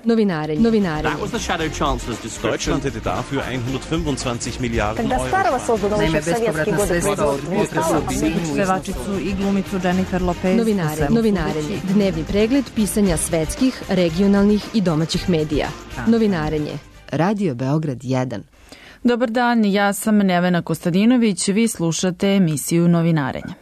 Novinarenje. Deutschland hätte dafür 125 Milijardi euro. Naime, bespovratna sredstva od pevačicu i glumicu Jennifer Lopez. Novinarenje. Dnevni pregled pisanja svetskih, regionalnih i domaćih medija. Novinarenje. Radio Beograd 1. Dobar dan, ja sam Nevena Kostadinović, vi slušate emisiju Novinarenje.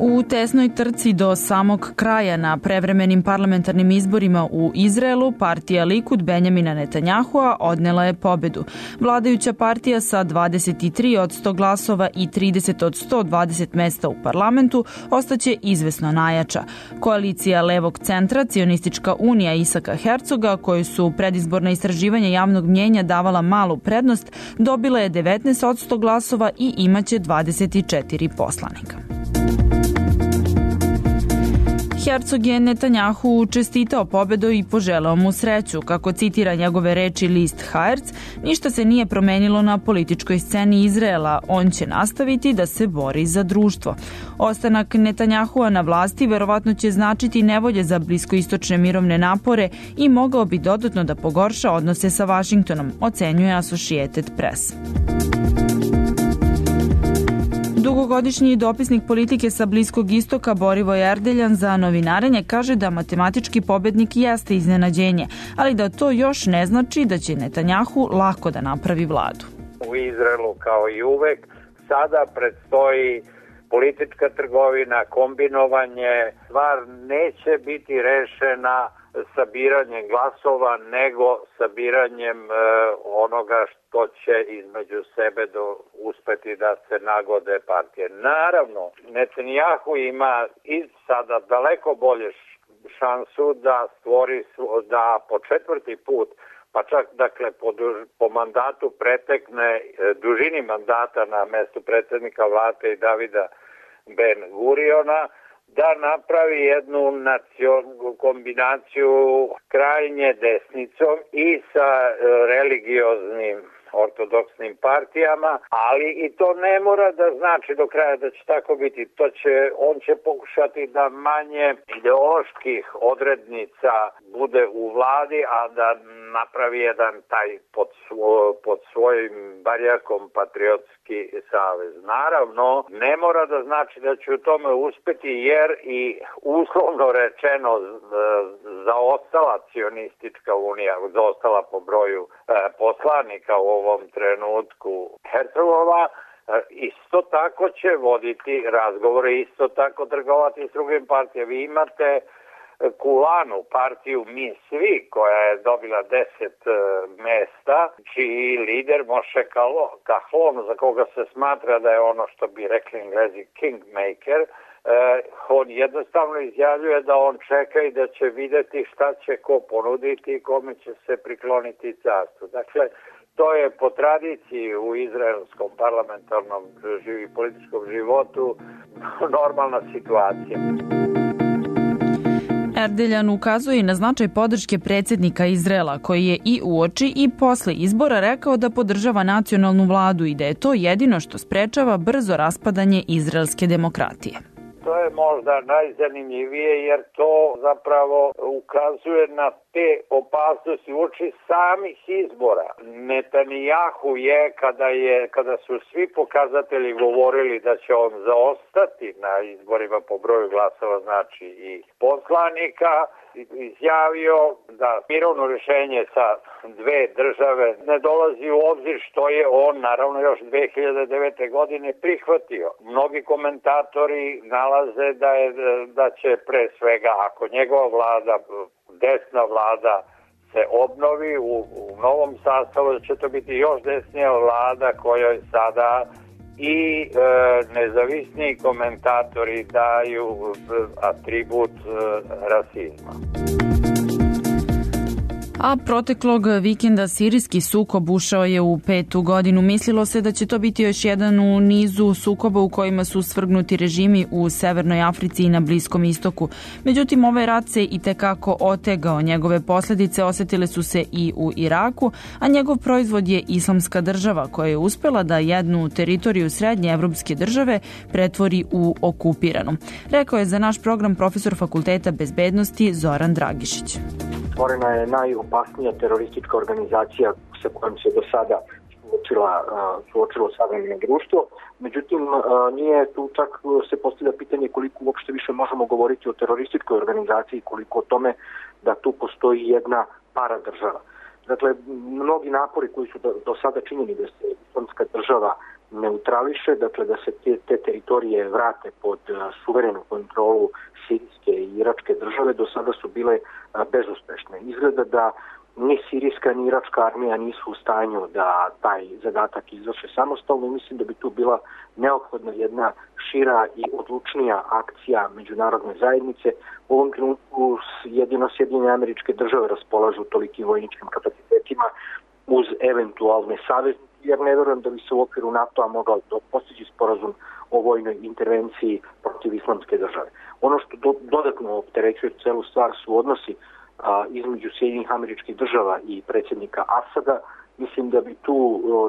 U tesnoj trci do samog kraja na prevremenim parlamentarnim izborima u Izraelu, partija Likud Benjamina Netanjahua odnela je pobedu. Vladajuća partija sa 23 od 100 glasova i 30 od 120 mesta u parlamentu ostaće izvesno najjača. Koalicija levog centra, Cionistička unija Isaka Hercoga, koju su predizborna istraživanja javnog mnjenja davala malu prednost, dobila je 19 od 100 glasova i imaće 24 poslanika. Herzog je Netanjahu čestitao pobedu i poželeo mu sreću. Kako citira njegove reči list Haaretz, ništa se nije promenilo na političkoj sceni Izraela. On će nastaviti da se bori za društvo. Ostanak Netanjahua na vlasti verovatno će značiti nevolje za bliskoistočne mirovne napore i mogao bi dodatno da pogorša odnose sa Vašingtonom, ocenjuje Associated Press. Dugogodišnji dopisnik politike sa Bliskog istoka Borivoj Erdeljan za Novinarenje kaže da matematički pobednik jeste iznenađenje, ali da to još ne znači da će Netanjahu lako da napravi vladu. U Izraelu kao i uvek sada predstoji politička trgovina, kombinovanje. Stvar neće biti rešena sabiranjem glasova, nego sabiranjem onoga što će između sebe uspeti da se nagode partije. Naravno, Netanjahu ima i sada daleko bolje šansu da stvori, da po četvrti put, pa čak dakle po mandatu pretekne dužini mandata na mestu predsjednika vlade i Davida Ben Guriona, da napravi jednu kombinaciju krajnje desnicom i sa religioznim ortodoksnim partijama, ali i to ne mora da znači do kraja da će tako biti. On će pokušati da manje ideoloških odrednica bude u vladi, a da napravi jedan taj pod svojim barjakom patriotski savez. Naravno, ne mora da znači da će u tome uspeti, jer i uslovno rečeno zaostala Cionistička unija, zaostala po broju poslanika u ovom trenutku Herzogova, isto tako će voditi razgovore, isto tako trgovati s drugim partijama. Vi imate Kulanu, partiju Mi Svi, koja je dobila 10 mesta, čiji lider Moshe Kahlon, za koga se smatra da je ono što bi rekli Englezi kingmaker, on jednostavno izjavljuje da on čeka i da će videti šta će ko ponuditi i kome će se prikloniti carstvu. Dakle, to je po tradiciji u izraelskom parlamentarnom i političkom životu normalna situacija. Erdeljan ukazuje na značaj podrške predsjednika Izraela, koji je i uoči i posle izbora rekao da podržava nacionalnu vladu i da je to jedino što sprečava brzo raspadanje izraelske demokratije. To je možda najzanimljivije, jer to zapravo ukazuje na te opasnosti uoči samih izbora. Netanjahu je, kada su svi pokazatelji govorili da će on zaostati na izborima po broju glasova, znači i poslanika, izjavio da mirovno rješenje sa dve države ne dolazi u obzir, što je on naravno još 2009. godine prihvatio. Mnogi komentatori nalaze da će pre svega, ako njegova vlada, desna vlada, se obnovi u novom sastavu, da će to biti još desnija vlada kojoj sada i nezavisni komentatori daju atribut rasizma. A proteklog vikenda sirijski sukob ušao je u 5. godinu. Mislilo se da će to biti još jedan u nizu sukoba u kojima su svrgnuti režimi u Severnoj Africi i na Bliskom istoku. Međutim, ovaj rat se i tekako otegao. Njegove posljedice osetile su se i u Iraku, a njegov proizvod je Islamska država koja je uspela da jednu teritoriju srednje evropske države pretvori u okupiranu. Rekao je za naš program profesor Fakulteta bezbednosti Zoran Dragišić. Stvorena je najopasnija teroristička organizacija sa kojom se do sada suočilo savremeno društvo. Međutim, nije tu čak se postavlja pitanje koliko uopšte više možemo govoriti o terorističkoj organizaciji, koliko o tome da tu postoji jedna paradržava. Dakle, mnogi napori koji su do sada činjeni da se Islamska država neutrališe, dakle da se te teritorije vrate pod suverenu kontrolu sirijske i iračke države, do sada su bile bezuspešne. Izgleda da ni sirijska ni iračka armija nisu u stanju da taj zadatak izvrše samostalno i mislim da bi tu bila neophodna jedna šira i odlučnija akcija međunarodne zajednice. U ovom trenutku jedino Sjedinjene Američke Države raspolažu tolikim vojničkim kapacitetima uz eventualne saveznike, jer ne verujem da bi se u okviru NATO-a mogao postići sporazum o vojnoj intervenciji protiv Islamske države. Ono što dodatno opterećuje celu stvar su odnosi između Sjedinjenih Američkih Država i predsjednika Asada. Mislim da bi tu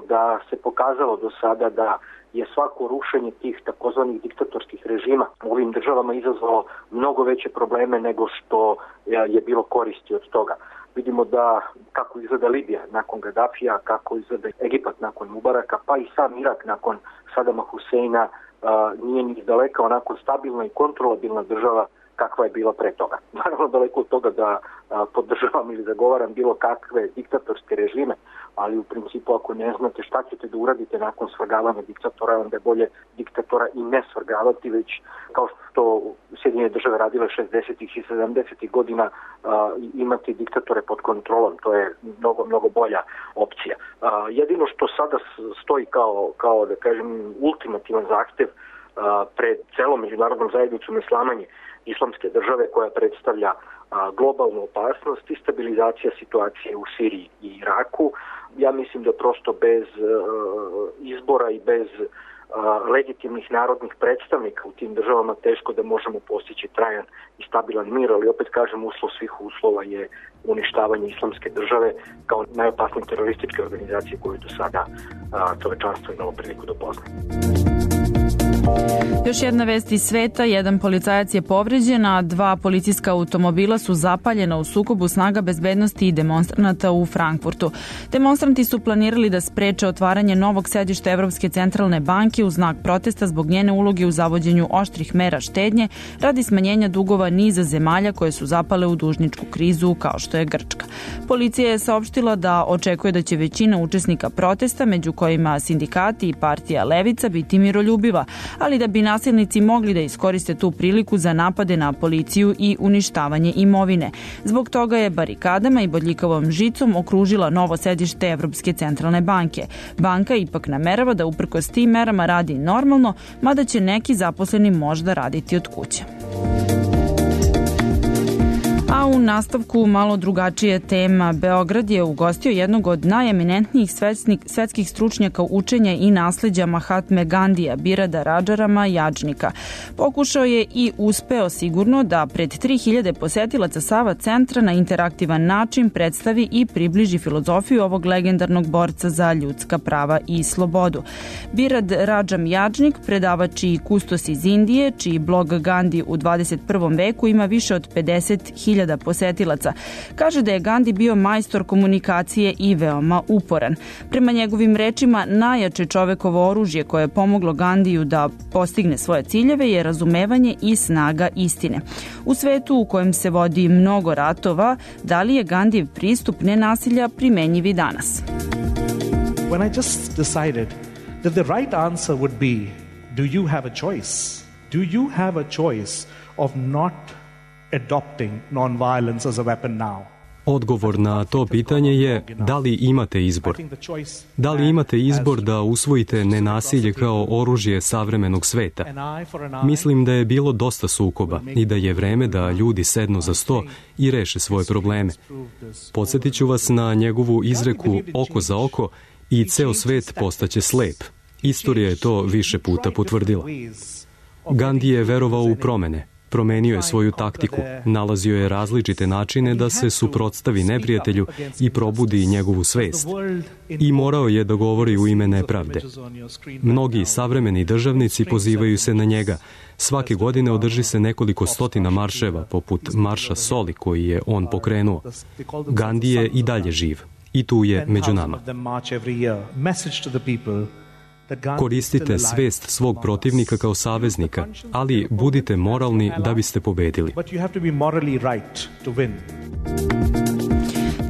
da se pokazalo do sada da je svako rušenje tih takozvanih diktatorskih režima u ovim državama izazvalo mnogo veće probleme nego što je bilo koristi od toga. Vidimo da kako izgleda Libija nakon Gadafija, kako izgleda Egipat nakon Mubaraka, pa i sam Irak nakon Sadama Huseina nije ni izdaleka onako stabilna i kontrolabilna država kakva je bila pre toga. Naravno, daleko od toga da podržavam ili zagovaram bilo kakve diktatorske režime, ali u principu ako ne znate šta ćete da uradite nakon svrgavanja diktatora, onda je bolje diktatora i ne svrgavati, već kao što Sjedinjene države radile 60. i 70. godina imati diktatore pod kontrolom. To je mnogo bolja opcija. Jedino što sada stoji kao da kažem ultimativan zahtev pred celom međunarodnom zajednicom je slamanje Islamske države koja predstavlja globalnu opasnost i stabilizacija situacije u Siriji i Iraku. Ja mislim da prosto bez izbora i bez legitimnih narodnih predstavnika u tim državama teško da možemo postići trajan i stabilan mir, ali opet kažem, uslov svih uslova je uništavanje Islamske države kao najopasnije terorističke organizacije koju do sada čovečanstvo imalo priliku da upozna. Još jedna vest iz sveta, jedan policajac je povređen, a 2 policijska automobila su zapaljena u sukobu snaga bezbednosti i demonstranata u Frankfurtu. Demonstranti su planirali da spreče otvaranje novog sedišta Evropske centralne banke u znak protesta zbog njene uloge u zavođenju oštrih mera štednje radi smanjenja dugova niza zemalja koje su zapale u dužničku krizu kao što je Grčka. Policija je saopštila da očekuje da će većina učesnika protesta, među kojima sindikati i partija Levica, biti miroljubiva, ali da bi nasilnici mogli da iskoriste tu priliku za napade na policiju i uništavanje imovine. Zbog toga je barikadama i bodljikavom žicom okružila novo sedište Evropske centralne banke. Banka ipak namerava da uprkos tim merama radi normalno, mada će neki zaposleni možda raditi od kuće. A u nastavku malo drugačije tema. Beograd je ugostio jednog od najeminentnijih svetskih stručnjaka učenja i nasleđa Mahatme Gandija, Birada Radžarama Jadžnika. Pokušao je i uspeo sigurno da pred 3000 posetilaca Sava centra na interaktivan način predstavi i približi filozofiju ovog legendarnog borca za ljudska prava i slobodu. Birad Radžam Jadžnik, predavač i kustos iz Indije, čiji blog Gandhi u 21. veku ima više od 50.000 posetilaca. Kaže da je Gandhi bio majstor komunikacije i veoma uporan. Prema njegovim rečima, najjače čovekovo oružje koje je pomoglo Gandhiju da postigne svoje ciljeve je razumevanje i snaga istine. U svetu u kojem se vodi mnogo ratova, da li je Gandhijev pristup nenasilja primenjiv i danas? When I just decided that the right answer would be, do you have a choice? Do you have a choice of not adopting non-violence as a weapon now? Odgovor na to pitanje je da li imate izbor. Da li imate izbor da usvojite nenasilje kao oružje savremenog sveta? Mislim da je bilo dosta sukoba i da je vreme da ljudi sednu za sto i reše svoje probleme. Podsjetit ću vas na njegovu izreku oko za oko i ceo svet postaće slep. Istorija je to više puta potvrdila. Gandhi je verovao u promene. Promenio je svoju taktiku, nalazio je različite načine da se suprotstavi neprijatelju i probudi njegovu svest. I morao je da govori u ime nepravde. Mnogi savremeni državnici pozivaju se na njega. Svake godine održi se nekoliko stotina marševa, poput Marša Soli koji je on pokrenuo. Gandhi je i dalje živ. I tu je među nama. Koristite svest svog protivnika kao saveznika, ali budite moralni da biste pobedili.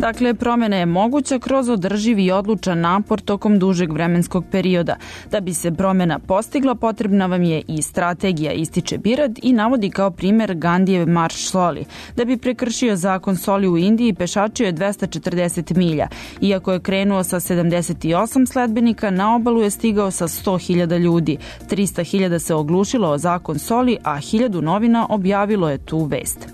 Dakle, promjena je moguća kroz održiv i odlučan napor tokom dužeg vremenskog perioda. Da bi se promjena postigla, potrebna vam je i strategija, ističe Birad i navodi kao primjer Gandhijev marš Soli. Da bi prekršio zakon Soli u Indiji, pešačio je 240 milja. Iako je krenuo sa 78 sledbenika, na obalu je stigao sa 100.000 ljudi. 300.000 se oglušilo o zakon Soli, a 1000 novina objavilo je tu vest.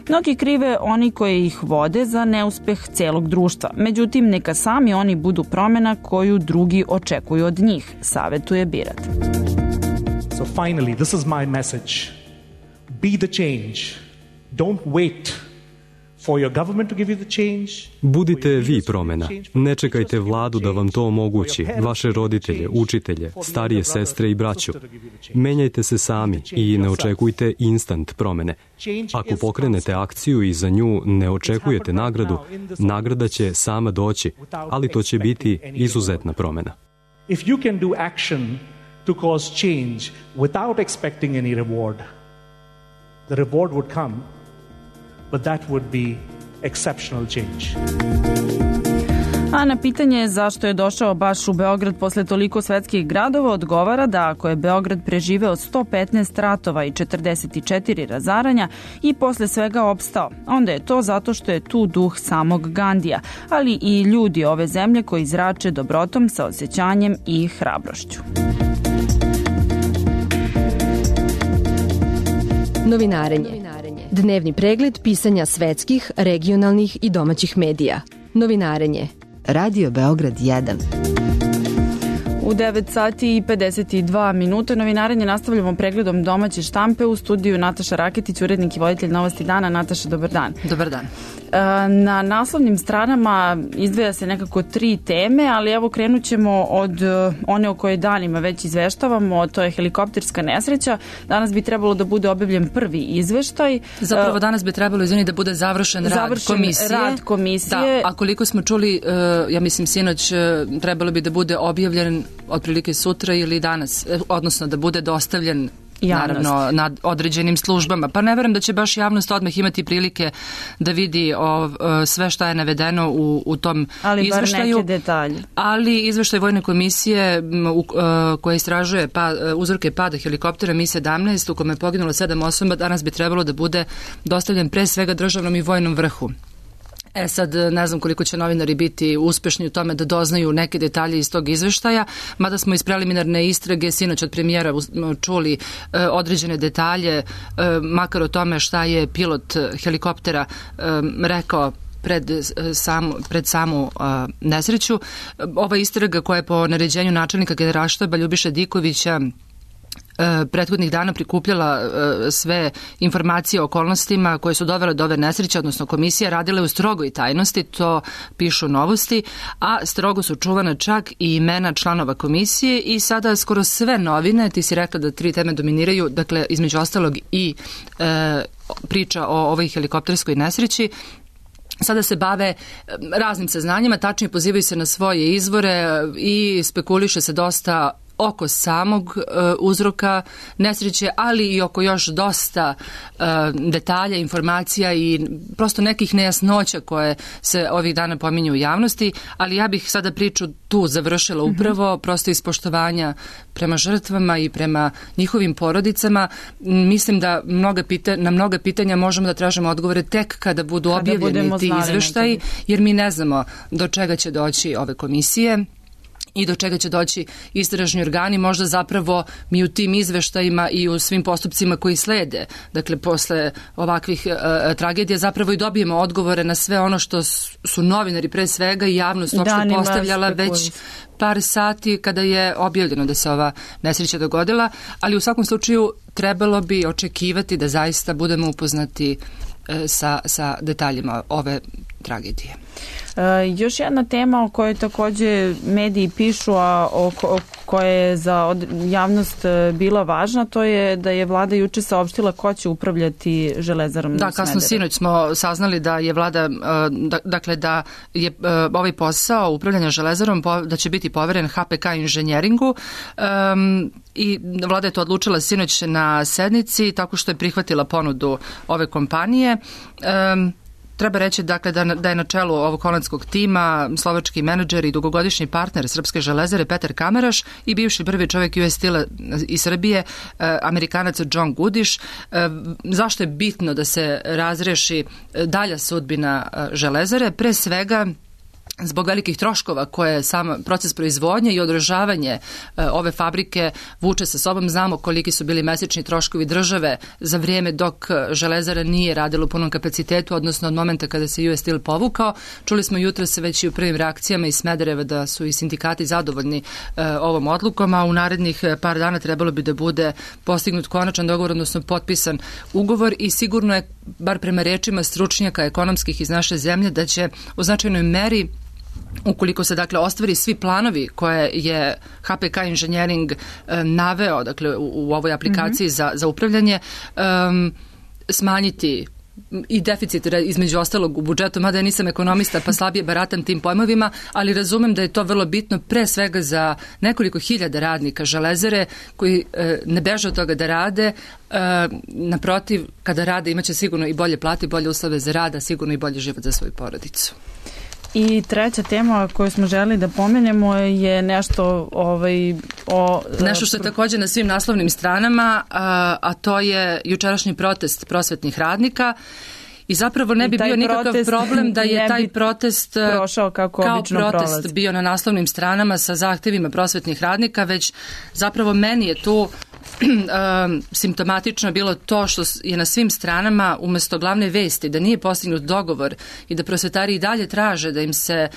Mnogi krive oni koji ih vode za neuspeh celog društva. Međutim, neka sami oni budu promjena koju drugi očekuju od njih, savetuje Birad. So finally, this is my message. Be the change. Don't wait for your government to give you the change. Budite vi promjena. Ne čekajte vladu da vam to omogući, vaše roditelje, učitelje, starije sestre i braću. Menjajte se sami i ne očekujte instant promjene. Ako pokrenete akciju i za nju ne očekujete nagradu, nagrada će sama doći, ali to će biti izuzetna promjena. If you can do action to cause change without expecting any reward, the reward would come, but that would be exceptional change. A na pitanje zašto je došao baš u Beograd posle toliko svetskih gradova odgovara da ako je Beograd preživeo 115 ratova i 44 razaranja i posle svega opstao, onda je to zato što je tu duh samog Gandija, ali i ljudi ove zemlje koji zrače dobrotom, saosećanjem i hrabrošću. Novinarenje. Dnevni pregled pisanja svetskih, regionalnih i domaćih medija. Novinarenje. Radio Beograd 1. U 9 sati i 52 minute novinarenje nastavljamo pregledom domaće štampe. U studiju Nataša Raketić, urednik i voditelj Novosti dana. Nataša, dobar dan. Dobar dan. Na naslovnim stranama izdvaja se nekako 3 teme, ali evo krenut ćemo od one o kojoj danima već izveštavamo, to je helikopterska nesreća. Danas bi trebalo da bude objavljen prvi izveštaj. Zapravo danas bi trebalo, da bude završen rad komisije. Da, a koliko smo čuli, ja mislim sinoć, trebalo bi da bude objavljen otprilike sutra ili danas, odnosno da bude dostavljen naravno nad određenim službama. Pa ne verujem da će baš javnost odmah imati prilike da vidi sve šta je navedeno u tom izveštaju. Ali bar neke detalje. Ali izveštaj Vojne komisije koja istražuje uzroke pada helikoptera Mi-17 u kome je poginulo 7 osoba, danas bi trebalo da bude dostavljen pre svega državnom i vojnom vrhu. Sad ne znam koliko će novinari biti uspešni u tome da doznaju neke detalje iz tog izveštaja, mada smo iz preliminarne istrage sinoć od premijera čuli određene detalje, makar o tome šta je pilot helikoptera rekao pred samu nesreću. Ova istraga koja je po naređenju načelnika Generalštaba Ljubiše Dikovića prethodnih dana prikupljala sve informacije o okolnostima koje su dovele do ove nesreće, odnosno komisija radila u strogoj tajnosti, to pišu Novosti, a strogo su čuvana čak i imena članova komisije i sada skoro sve novine, ti si rekla da 3 teme dominiraju, dakle između ostalog i priča o ovoj helikopterskoj nesreći, sada se bave raznim saznanjima, tačnije pozivaju se na svoje izvore i spekuliše se dosta oko samog uzroka nesreće, ali i oko još dosta detalja, informacija i prosto nekih nejasnoća koje se ovih dana pominju u javnosti, ali ja bih sada priču tu završila upravo prosto iz poštovanja prema žrtvama i prema njihovim porodicama. Mislim da na mnoga pitanja možemo da tražimo odgovore tek kada budu objavljeni ti izveštaji, jer mi ne znamo do čega će doći ove komisije i do čega će doći istražni organi, možda zapravo mi u tim izveštajima i u svim postupcima koji slede, dakle posle ovakvih tragedija zapravo i dobijemo odgovore na sve ono što su novinari pre svega i javnost uopšte postavljala već par sati kada je objavljeno da se ova nesreća dogodila, ali u svakom slučaju trebalo bi očekivati da zaista budemo upoznati sa detaljima ove tragedije. Još jedna tema o kojoj takođe mediji pišu, a koja je za javnost bila važna, to je da je vlada juče saopštila ko će upravljati Železarom Smederevo. Da, kasno sinoć smo saznali da je vlada, dakle da je ovaj posao upravljanja Železarom da će biti poveren HPK inženjeringu i vlada je to odlučila sinoć na sednici tako što je prihvatila ponudu ove kompanije. Treba reći dakle, da je na čelu ovog holandskog tima slovački menadžer i dugogodišnji partner Srpske železare Petar Kamaraš i bivši prvi čovjek US Steel-a iz Srbije, Amerikanac John Goodish. Zašto je bitno da se razreši dalja sudbina železare? Pre svega zbog velikih troškova koje sam proces proizvodnje i održavanje ove fabrike vuče sa sobom. Znamo koliki su bili mesečni troškovi države za vrijeme dok železara nije radila u punom kapacitetu, odnosno od momenta kada se US Steel povukao. Čuli smo jutros već i u prvim reakcijama iz Smedereva da su i sindikati zadovoljni ovom odlukom, a u narednih par dana trebalo bi da bude postignut konačan dogovor, odnosno potpisan ugovor i sigurno je, bar prema rečima stručnjaka ekonomskih iz naše zemlje, da će u značajnoj meri, ukoliko se dakle ostvari svi planovi koje je HPK inženjering naveo dakle u ovoj aplikaciji za upravljanje, smanjiti i deficit između ostalog u budžetu, mada ja nisam ekonomista pa slabije baratam tim pojmovima, ali razumem da je to vrlo bitno pre svega za nekoliko hiljada radnika železare koji ne beže od toga da rade. Naprotiv, kada rade imaće sigurno i bolje plate, bolje uslove za rad, sigurno i bolji život za svoju porodicu. I treća tema koju smo želeli da pomenemo je nešto nešto što je također na svim naslovnim stranama, a to je jučerašnji protest prosvetnih radnika. I zapravo ne bi bio nikakav problem da je taj protest kao protest bio na naslovnim stranama sa zahtevima prosvetnih radnika, već zapravo meni je tu simptomatično bilo to što je na svim stranama umjesto glavne vesti da nije postignut dogovor i da prosvetari i dalje traže da im se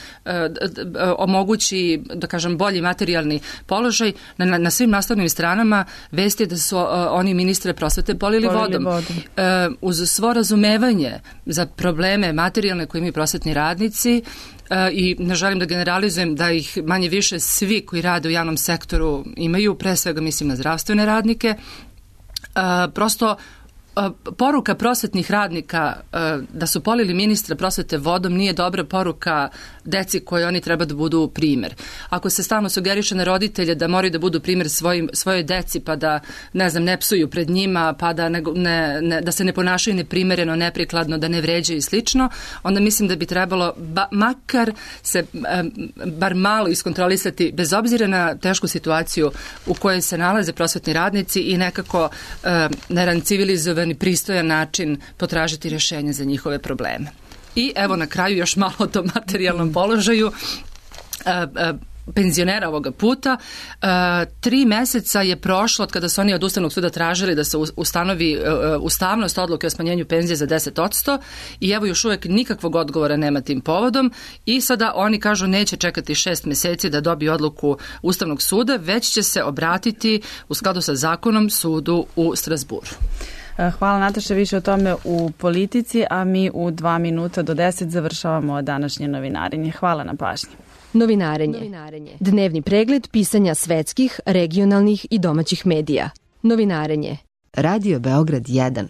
omogući, da kažem, bolji materijalni položaj. Na svim naslovnim stranama vesti je da su oni ministre prosvete polili vodom. Uz svo razumevanje za probleme materijalne koje imaju prosvetni radnici, i ne želim da generalizujem da ih manje više svi koji rade u javnom sektoru imaju, pre svega mislim na zdravstvene radnike, prosto poruka prosvetnih radnika da su polili ministra prosvete vodom nije dobra poruka deci koje oni treba da budu primer. Ako se stalno sugeriše na roditelje da moraju da budu primer svojoj deci, pa da ne psuju pred njima, pa da se ne ponašaju neprimereno, neprikladno, da ne vređaju i slično, onda mislim da bi trebalo makar se bar malo iskontrolisati bez obzira na tešku situaciju u kojoj se nalaze prosvetni radnici i nekako na jedan civilizovan i pristojan način potražiti rješenje za njihove probleme. I evo na kraju još malo o tom materijalnom položaju penzionera ovoga puta. 3 meseca je prošlo od kada su oni od Ustavnog suda tražili da se ustanovi ustavnost odluke o smanjenju penzije za 10% i evo još uvijek nikakvog odgovora nema tim povodom i sada oni kažu neće čekati 6 mjeseci da dobiju odluku Ustavnog suda, već će se obratiti u skladu sa zakonom sudu u Strasburu. Hvala Nataša, više o tome u Politici, a mi u 2 minuta do 10 završavamo današnje novinarenje. Hvala na pažnji. Novinarenje. Dnevni pregled pisanja svetskih, regionalnih i domaćih medija. Novinarenje. Radio Beograd 1.